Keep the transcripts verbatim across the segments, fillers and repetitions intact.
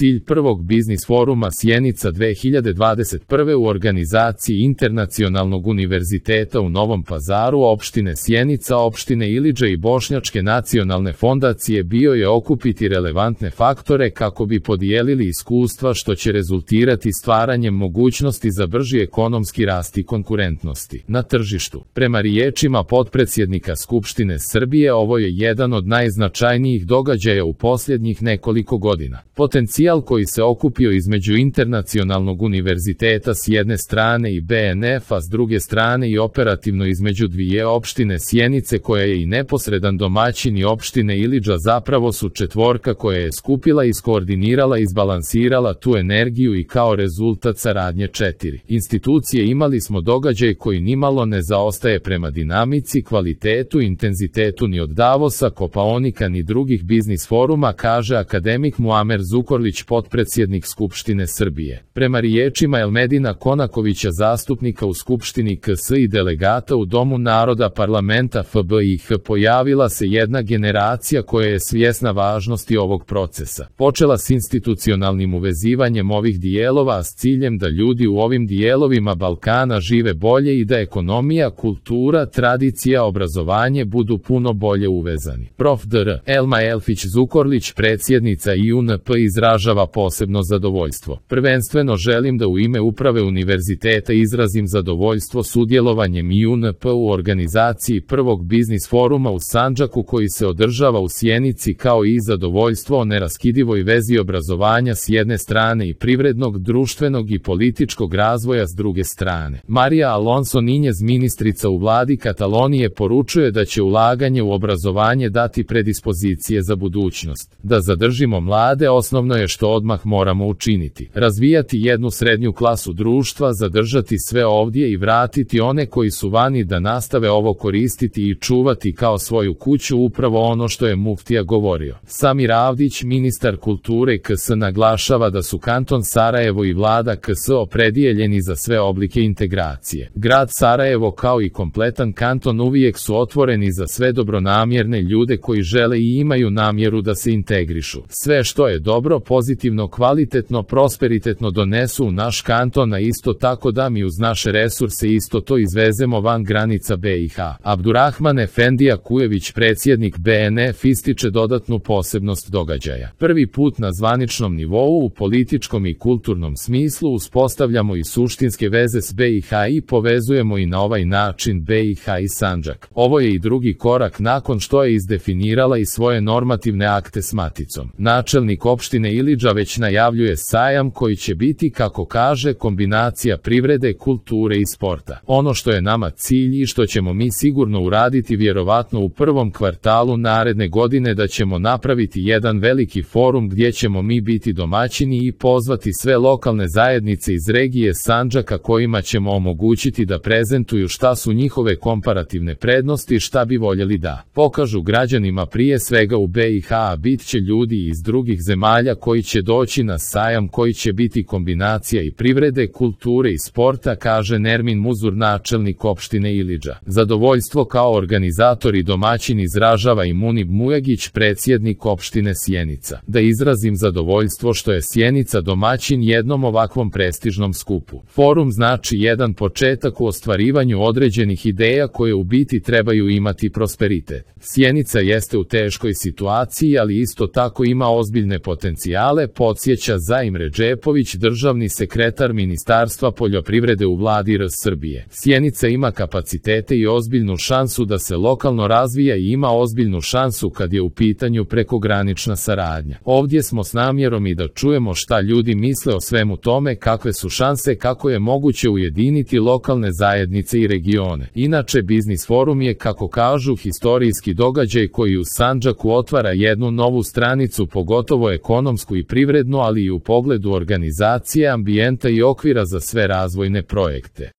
cilj prvog biznis foruma Sjenica dve hiljade dvadeset prve u organizaciji Internacionalnog univerziteta u Novom Pazaru, opštine Sjenica, opštine Ilidža i Bošnjačke nacionalne fondacije bio je okupiti relevantne faktore kako bi podijelili iskustva što će rezultirati stvaranjem mogućnosti za brži ekonomski rast i konkurentnosti na tržištu. Prema riječima potpredsjednika Skupštine Srbije, ovo je jedan od najznačajnijih događaja u posljednjih nekoliko godina. Potencijal koji se okupio između Internacionalnog univerziteta s jedne strane i B N F-a s druge strane i operativno između dvije opštine Sjenice koja je i neposredan domaćin i opštine Ilidža zapravo su četvorka koja je skupila, iskoordinirala i izbalansirala tu energiju i kao rezultat saradnje četiri institucije imali smo događaj koji nimalo ne zaostaje prema dinamici, kvalitetu, intenzitetu ni od Davosa, Kopaonika ni drugih biznis foruma, kaže akademik Muamer Zukorlić, potpredsjednik Skupštine Srbije. Prema riječima Elmedina Konakovića, zastupnika u Skupštini K S i delegata u Domu naroda parlamenta F B I H, pojavila se jedna generacija koja je svjesna važnosti ovog procesa. Počela s institucionalnim uvezivanjem ovih dijelova s ciljem da ljudi u ovim dijelovima Balkana žive bolje i da ekonomija, kultura, tradicija, obrazovanje budu puno bolje uvezani. Prof dr Elma Elfić Zukorlić, predsjednica I U N P, izražava posebno zadovoljstvo. Prvenstveno želim da u ime uprave univerziteta izrazim zadovoljstvo sudjelovanjem I U N P u organizaciji prvog biznis foruma u Sandžaku koji se održava u Sjenici, kao i zadovoljstvo o neraskidivoj vezi obrazovanja s jedne strane i privrednog, društvenog i političkog razvoja s druge strane. Marija Alonso Ninjez, ministrica u vladi Katalonije, poručuje da će ulaganje u obrazovanje dati predispozicije za budućnost. Da zadržimo mlade, osnovno je što odmah moramo učiniti. Razvijati jednu srednju klasu društva, zadržati sve ovdje i vratiti one koji su vani da nastave ovo koristiti i čuvati kao svoju kuću, upravo ono što je muftija govorio. Samir Avdić, ministar kulture K S, naglašava da su kanton Sarajevo i vlada K S opredijeljeni za sve oblike integracije. Grad Sarajevo kao i kompletan kanton uvijek su otvoreni za sve dobronamjerne ljude koji žele i imaju namjeru da se integrišu. Sve što je dobro, pozitivno, kvalitetno, prosperitetno donesu u naš kanton, a isto tako da mi uz naše resurse isto to izvezemo van granica B i H. Abdurrahman Efendija Kujević, predsjednik B N F, ističe dodatnu posebnost događaja. Prvi put na zvaničnom nivou u političkom i kulturnom smislu uspostavljamo i suštinske veze s B i H i povezujemo i na ovaj način B i H i Sandžak. Ovo je i drugi korak nakon što je izdefinirala i svoje normativne akte s maticom. Načelnik opštine Ilidža već najavljuje sajam koji će biti, kako kaže, kombinacija privrede, kulture i sporta. Ono što je nama cilj i što ćemo mi sigurno uraditi vjerovatno u prvom kvartalu naredne godine, da ćemo napraviti jedan veliki forum gdje ćemo mi biti domaćini i pozvati sve lokalne zajednice iz regije Sandžaka kojima ćemo omogućiti da prezentuju šta su njihove komparativne prednosti, šta bi voljeli da pokažu građanima, prije svega u B i H, a bit će ljudi iz drugih zemalja koji će doći na sajam koji će biti kombinacija i privrede, kulture i sporta, kaže Nermin Muzur, načelnik opštine Ilidža. Zadovoljstvo kao organizator i domaćin izražava i Munib Mujagić, predsjednik opštine Sjenica. Da izrazim zadovoljstvo što je Sjenica domaćin jednom ovakvom prestižnom skupu. Forum znači jedan početak u ostvarivanju određenih ideja koje u biti trebaju imati prosperitet. Sjenica jeste u teškoj situaciji, ali isto tako ima ozbiljne potencijale, podsjeća Zaim Redžepović, državni sekretar Ministarstva poljoprivrede u vladi R Srbije. Sjenica ima kapacitete i ozbiljnu šansu da se lokalno razvija i ima ozbiljnu šansu kad je u pitanju prekogranična saradnja. Ovdje smo s namjerom i da čujemo šta ljudi misle o svemu tome, kakve su šanse, kako je moguće ujediniti lokalne zajednice i regione. Inače, biznis forum je, kako kažu, historijski događaj koji u Sandžaku otvara jednu novu stranicu, pogotovo ekonomsku i privrednu, ali i u pogledu organizacije, ambijenta i okvira za sve razvojne projekte.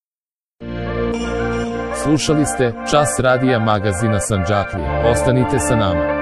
Slušali ste Čas radija magazina Sandžaklija. Ostanite sa nama.